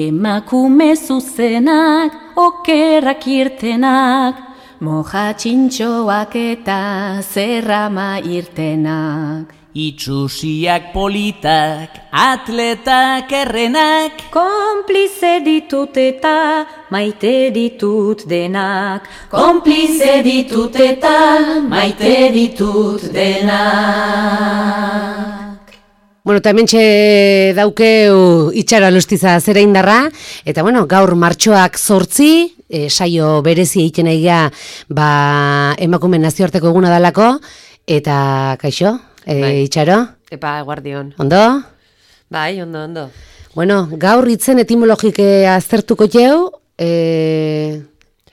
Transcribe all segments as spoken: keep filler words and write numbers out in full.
Emakume zuzenak, okerrak irtenak, moja txintxoak eta zerrama irtenak. Itxusiak politak, atletak errenak, Konplize ditut eta maite ditut denak. Konplize ditut eta maite ditut denak. Bueno, eta hementxe daukeu itxara lustiza zera indarra, eta bueno, gaur martxoak zortzi, e, saio berezi egiten egia, ba, emakume nazioarteko eguna dalako, eta kaixo, e, Bai. itxaro? Epa, guardion. Ondo? Bai, ondo, ondo. Bueno, gaur hitzen etimologike aztertuko jau, e,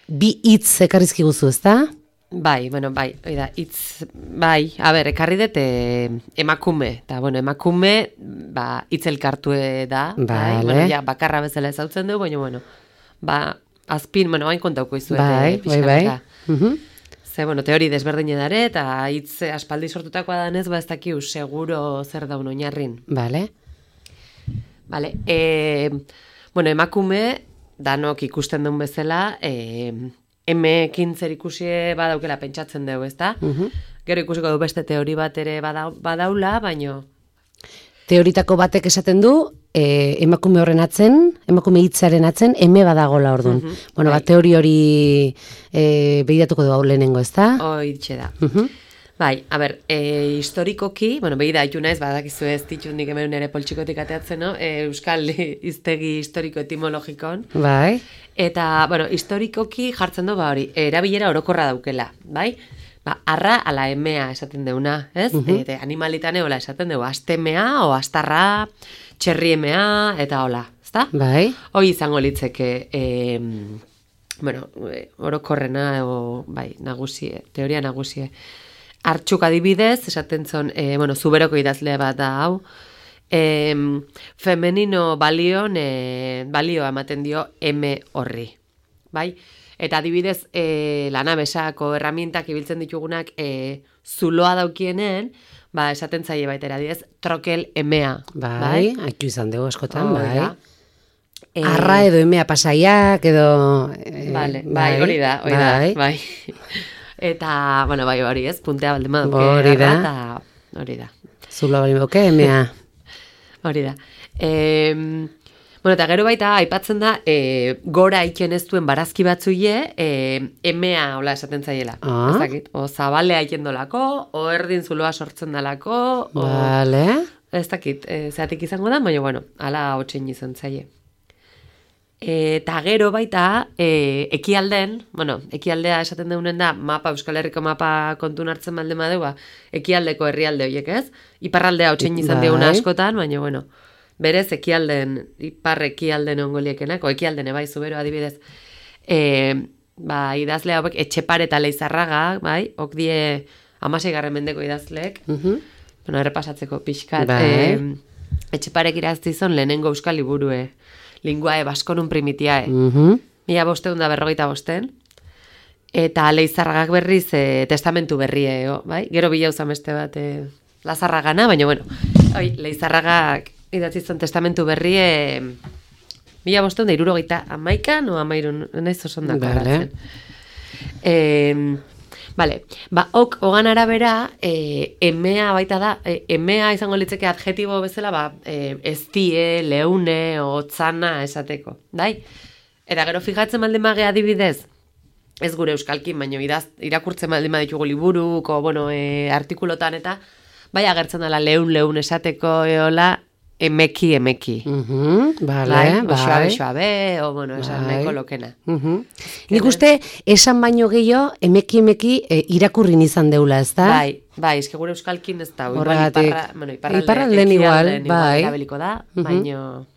bi hitz ekarrizki guzu, ezta? Bai, bueno, bai, oida, hitz, bai, a ber, ekarri dut eh, emakume, eta, bueno, emakume, ba, hitz elkartue da, bai, Vale. bueno, ja, bakarra bezala ezautzen dugu, baina, bueno, ba, azpin, bueno, hain kontauko izuet, Bai, eh, bai, bai. pixkanaka. Mhm. Ze, bueno, teori desberdine dare, eta hitz aspaldi sortutakoa danez, ba, ez dakiu, seguro zer daun oinarrin. Vale. Vale, e, bueno, emakume, danok ikusten duen bezala, e, emekin zer ikusi badaukela pentsatzen dugu, ezta? Mhm. Gero ikusiko du beste teori bat ere bada, badaula, baino... Teoritako batek esaten du, e, emakume horren atzen, emakume hitzaren atzen, eme badagola orduan. Mhm, Bueno, bai. ba, teori hori e, begiratuko du hau lehenengo, ezta? Hoitxe da. Mhm. Bai, a ber, e, historikoki, bueno, begira, haitu naiz, badakizu ez ditut nik hemen ere poltsikotik ateatzen, no? E, Euskal hiztegi historiko etimologikon. Bai. Eta, bueno, historikoki jartzen du, ba hori, erabilera orokorra daukela, bai? Ba, arra ala emea esaten deuna, ez? Mhm. Eta animalitane hola esaten dugu, astemea o astarra, txerriemea, eta hola, ezta? Bai. Hoi izango litzeke, e, bueno, e, orokorrena, o, bai, nagusie, teoria nagusie. Artxuk adibidez, esaten zon, e, bueno, zuberoko idazle bat da hau, e, femenino balion, e, balioa ematen dio eme horri, bai? Eta adibidez, e, lanabesako erramintak ibiltzen ditugunak e, zuloa daukienen, ba, esaten zaie baita adibidez, trokel emea, Bai, bai? haitu izan dugu askotan, Hori bai. da. E, Arra edo emea pasaiak, edo... e, Vale, bai, hori da, hori bai. da, bai. Eta, bueno, bai, hori ez, puntea balde maduke. Hori da. Eta, hori da, Zulo bali boke, emea. hori da. E, bueno, eta gero baita, aipatzen da, e, gora iken ez duen barazki batzuie, e, emea, hola esaten zaiela. Ah. Ez dakit, o zabalea iken dolako, o erdin zuloa sortzen dalako, o... Vale. Ez dakit, e, zeatik izango da, baina, bueno, ala hotxein izan zaie. Eta gero baita, e, ekialden, bueno, ekialdea esaten deunen da, mapa, Euskal Herriko mapa kontun hartzen balde madua, ekialdeko herrialde horiek ez? Iparraldea hotxein izan Bai. dieguna askotan, baina, bueno, berez ekialden, ipar ekialden ongoliekenak, o ekialden ebai zubero adibidez, e, ba, idazle hauek, Etxepare eta Leizarraga, bai, ok die hamaseigarren mendeko idazleek, Mhm. bueno, errepasatzeko pixkat, Bai. e, Etxeparek iraztizon lehenengo euskal liburue, linguae baskonun primitiae, Mhm. mila bosteun da berrogeita bosten, eta Leizarragak berriz e, testamentu berrie, o, bai? Gero bila uzan beste bat e, Lazarragana, baina bueno, oi, Leizarragak idatzi zuen testamentu berrie mila bosteun da irurogeita amaikan, o amairun, naiz oso ondako Vale. erratzen. E, Vale, ba, ok, hogan arabera, e, emea baita da, e, emea izango litzeke adjetibo bezala, ba, e, eztie, leune, otzana esateko, bai? Eta gero fijatzen baldin mage adibidez, ez gure euskalkin, baino idaz, irakurtzen baldin baditugu liburuko, bueno, e, artikulotan eta, bai agertzen dela leun, leun esateko eola, emeki, emeki. Mhm. Vale, Bai, bexoa, bai. bexoa be, o, bueno, esan Bai. nahiko lokena. Mhm. Nik uste esan baino gehiago emeki emeki e, irakurrin izan deula, ezta? Bai, bai, eske gure euskalkin ez da. Igual Horregatik. iparra, bueno, iparralde, Iparralden igual, ekialden bai. erabiliko da, Mhm. baino,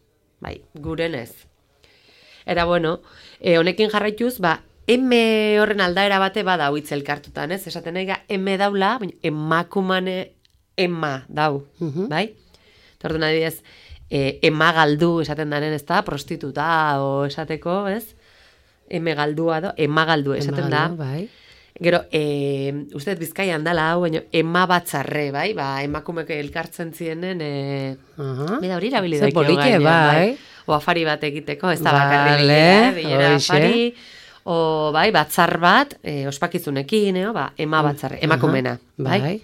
bai, guren ez. Eta bueno, e, honekin jarraituz, ba, eme horren aldaera bate bada hitz elkartutan, ez? Esaten nahi ga, eme daula, baina emakumane ema dau, Mhm. bai? Eta orduan adibidez, e, ema galdu esaten daren, ez da, prostituta o esateko, ez? Eme galdua do, ema galdu esaten da. Emagaldu, bai. Gero, e, uste Bizkaian dala hau, baina ema batzarre, bai? Ba, emakumek elkartzen zienen, e, Aha. bida hori erabili Ze daikio polite, gainean, bai. O afari bat egiteko, ez da Vale, bakarri bilera, bilera hoixe. afari, o bai, batzar bat, e, ospakizunekin, eo, ba, ema batzarre, emakumena, bai? Bai.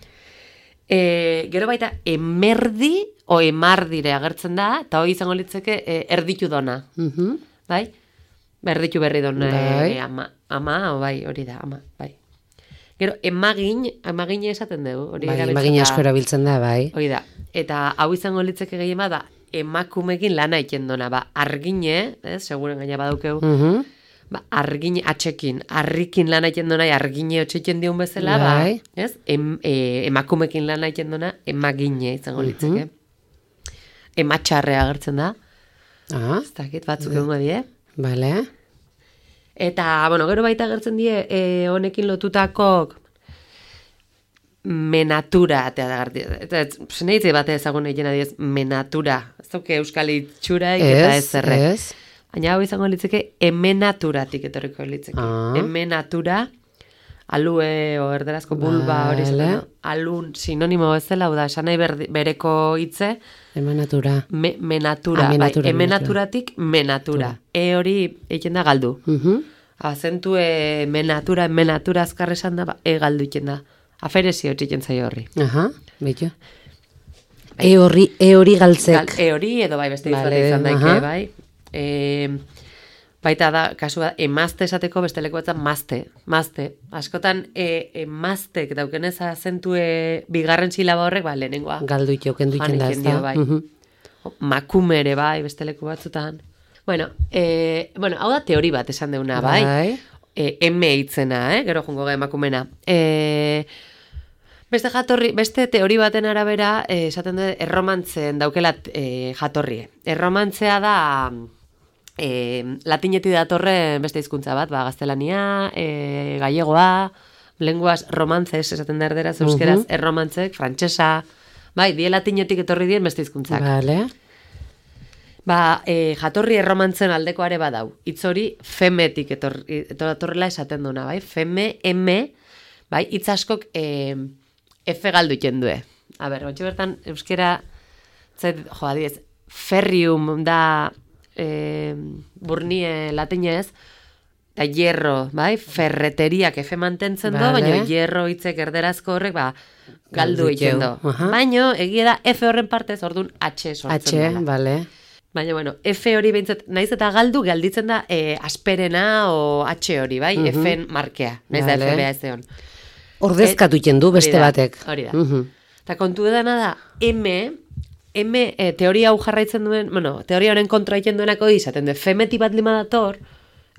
E, gero baita, emerdi, o emardire agertzen da, eta hori izango litzeke e, erditu dona, Mhm. bai? Berditu berri dona, Bai. e, ama, ama, o bai, hori da, ama, bai. Gero, emagin, emagin esaten dugu, hori Bai, erabiltzen emagin da. asko erabiltzen da, bai. Hori da, eta hau izango litzeke gehien bat da, emakumekin lana egiten dona, ba, argine, ez, seguren gaina badaukeu, Mhm. ba, argine atxekin, harrikin lana egiten dona, argine otxeiten diun bezala, Bai. ba, ez, em, e, emakumekin lana egiten dona, emagine izango litzeke. Ematxarre agertzen da, Ah, ez dakit batzuk egongo die. bale. Eta, bueno, gero baita agertzen die, e, honekin lotutako menatura, eta da garti, eta zenitze bate ezagun egin adiez, menatura. Ez duke euskal itxuraik eta ez erre. Ez, Baina hau izango litzeke emenaturatik etorriko litzeke. Ah. Emenatura, alue o erderazko bulba hori Vale. esaten da. Alun sinonimo bezala, hau da, esan nahi berdi- bereko hitze, emanatura. me, menatura, Ah, menatura, bai, emenaturatik menatura. E hori egiten da galdu. Mhm. Azentue menatura, menatura azkar esan da, ba, e galdu egiten da. Aferezio txiken zaio horri. Aha, beto. E hori, e hori galtzek. Gal, e hori edo bai beste Vale, izan daike, aha. bai. E, baita da, kasua, emazte esateko beste leku batzan mazte, mazte. Askotan, e, emaztek daukenez azentue bigarren silaba horrek, ba, lehenengoa. Galdu ito, kendu iten da, Janiken ez da. dio, bai. Mhm. Makume ere, bai, beste leku batzutan. Bueno, e, bueno, hau da teori bat esan deuna, bai. Bai. E, eme hitzena, eh? Gero jungo ga emakumena. E, beste jatorri, beste teori baten arabera, eh, esaten dut, erromantzen daukela e, jatorrie. Erromantzea da e, latinetik datorren beste hizkuntza bat, ba, gaztelania, e, gallegoa, lenguas romantzes, esaten da erderaz, euskeraz, Mhm. erromantzek, frantsesa, bai, die latinetik etorri dien beste hizkuntzak. Vale. Ba, e, jatorri erromantzen aldekoare badau. Hitz hori femetik etorri, etorrela esaten duna, bai? Feme, eme, bai? Hitz askok e, efe galdu iten due. A ber, ontsi bertan, euskera, zait, jo, adiez, ferrium da e, burnie latinez, eta hierro, bai? Ferreteriak efe mantentzen do, Vale. baina hierro hitzek erderazko horrek, ba, galdu Galdu egiten iteu. do. Aha. Baina, egia da, efe horren partez, orduan H sortzen H, dela. vale. Baina, bueno, F hori behintzat, naiz eta galdu galditzen da e, asperena o H hori, bai? Mhm. F-en markea, naiz Vale. da F bea ez egon. Ordezkatu iten du beste Hori da, batek. Hori da. Mhm. Eta kontu edana da, M, M e, teoria hau jarraitzen duen, bueno, teoria honen kontra egiten duenako izaten du, femeti bat lima dator,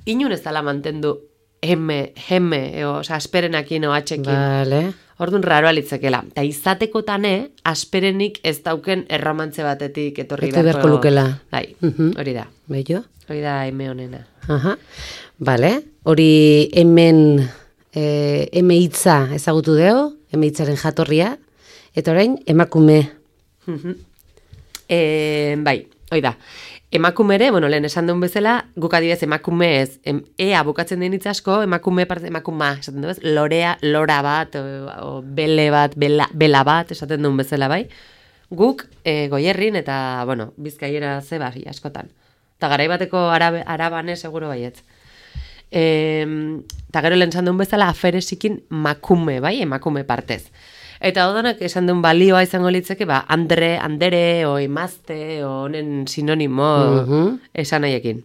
inun ez dala mantendu M, M, eo, oza, asperenakin o H-ekin. Vale. Orduan raroa litzekela. Eta izateko-tane, asperenik ez dauken erromantze batetik etorri Etorri beharko lukela. Bai, Mhm. hori da. Bello. Hori da eme honena. Aha. Vale. Hori hemen eh, eme hitza ezagutu deo, eme hitzaren jatorria, eta orain emakume. E, bai, hori da. Emakumere, bueno, lehen esan duen bezala, guk adibidez emakume ez, em, ea bukatzen den hitz asko, emakume parte emakuma, esaten du bez, lorea, lora bat, o, o bele bat, bela, bela bat, esaten duen bezala, bai. Guk e, goierrin eta, bueno, bizkaiera ze bai, askotan. Eta garai bateko arabe, arabane seguro baietz. E, eta gero lehen esan duen bezala, aferesikin makume, bai, emakume partez. Eta odanak esan duen balioa izango litzeke, ba, andre, andere, o emazte, o honen sinonimo Mhm. esan nahiekin.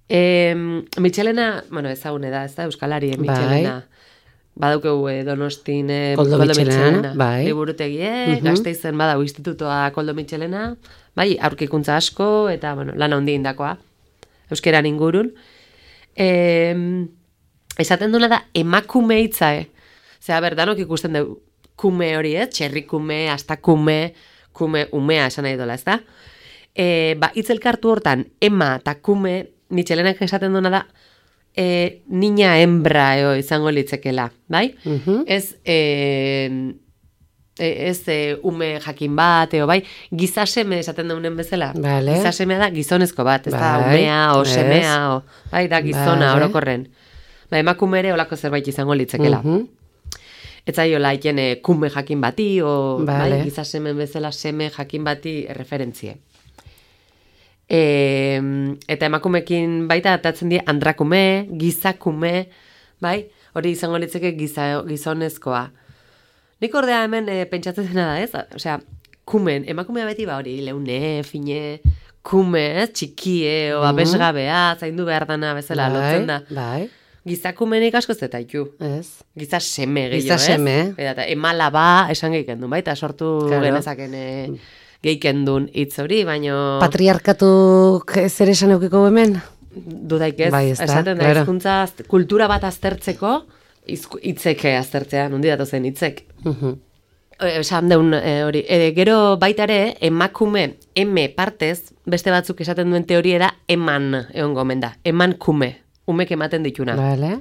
E, Michelena, bueno, ezagune da, ez da, euskalari, eh, Michelena. Badaukeu eh, Donostin eh, Koldo Michelena, bai. liburutegie, Mhm. Gasteizen badau institutoa Koldo Michelena, bai, aurkikuntza asko, eta, bueno, lan handi indakoa, euskeran ingurun. E, esaten duna da, emakume hitza, eh? Zera, berdanok ikusten dugu kume hori, eh? Txerrikume, astakume, kume umea esan nahi dola, ez da? E, ba, itzelkartu hortan, ema eta kume, Michelenak esaten duena da, e, niña hembra eo izango litzekela, bai? Mhm. Ez, e, e, ez e, ume jakin bat, eo, bai? Gizaseme esaten daunen bezala. Vale. Gizasemea da gizonezko bat, ez da Bai, umea o ez. semea, o, bai, da gizona Vale. orokorren. ba, emakume ere olako zerbait izango litzekela. Mhm. Etzaiola iten e, kume jakin bati, o Vale. bai, giza semen bezala seme jakin bati referentzie. E, eta emakumekin baita atatzen die andrakume, gizakume, bai, hori izango litzeke giza, gizonezkoa. Nik ordea hemen e, pentsatzen dena da, ez? Osea, kumen, emakumea beti ba hori, leune, fine, kume, ez? Txikie, o abesgabea, zaindu behar dana bezala lotzen da. Bai, Gizakumenik asko zetaitu. ez. Giza seme gehiago, Giza seme. ez? Eta emala ba esan geiken duen, baita sortu Claro. genezaken e, geiken duen hitz hori, baino Patriarkatuk zer esan eukiko hemen? dudaik ez, Bai, ezta, esaten da, claro. hizkuntza az- kultura bat aztertzeko, izku- hitzeke aztertzea, nondi datozen hitzek. Mhm. E, Esan deun e, hori, e, gero baita emakume, emakume, eme partez, beste batzuk esaten duen teoria da eman egon gomen da, eman kume, umek ematen dituna. Vale.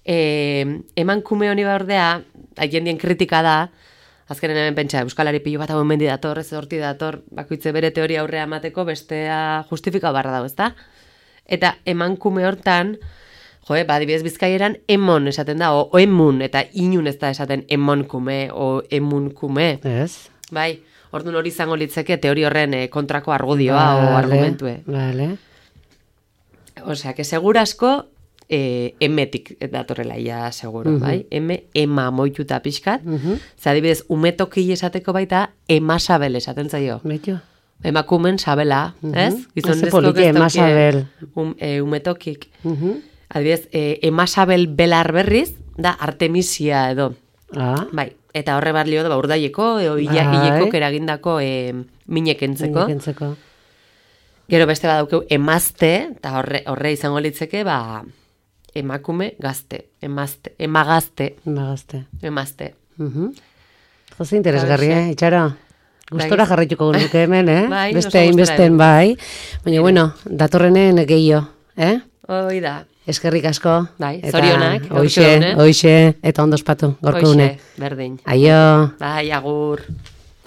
E, eman kume honi ordea, haien dien kritika da, azkenen hemen pentsa, euskalari pilo bat hau mendi dator, ez horti dator, bakoitze bere teoria aurrea emateko, bestea justifika barra dago, ezta? Eta eman kume hortan, jo, ba, adibidez bizkaieran emon esaten da, o, o emun, eta inun ez da esaten emon kume, o emun kume, Ez. bai, orduan hori izango litzeke teori horren eh, kontrako argudioa o argumentue. Vale. Osea, que segurasko eh, emetik datorrela ia seguro, bai? Eme, ema moituta pixkat. Ze adibidez, umetoki esateko baita, emasabel esaten zaio. Beitu. Emakumen sabela, ez? Ze Gizonezko poliki, emasabel. Um, e, umetokik. Mhm. Adibidez, e, emasabel belar berriz, da artemisia edo. Ah, Bai, eta horre barlio da, ba, urdaieko, eo Bai. hileko eragindako e, minekentzeko. kentzeko. Gero beste badaukeu emazte, eta horre, horre izango litzeke, ba, emakume gazte, emazte, emagazte, Magazte. emazte. Mhm. Jose interesgarri, Hauxe. eh, itxaro. Gustora Bai. jarraituko nuke hemen, eh? Bai, Beste oso hainbesten gustora bai. Baina, bueno, datorrenen gehiago, eh? Hoi da. Eskerrik asko. Bai, Eta zorionak, gaurko Hoxe, egune. hoxe, eta ondo ospatu, gorko Hoxe, une. berdin. Aio. Bai, agur.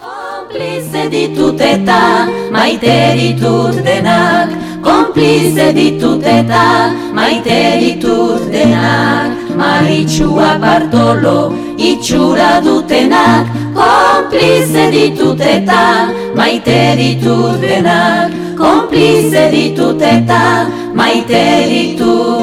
Konplize ditut eta maite ditut denak, konplize ditut eta maite ditut denak, Maritxua Bartolo itxura dutenak, konplize ditut eta maite ditut denak, konplize ditut eta maite ditut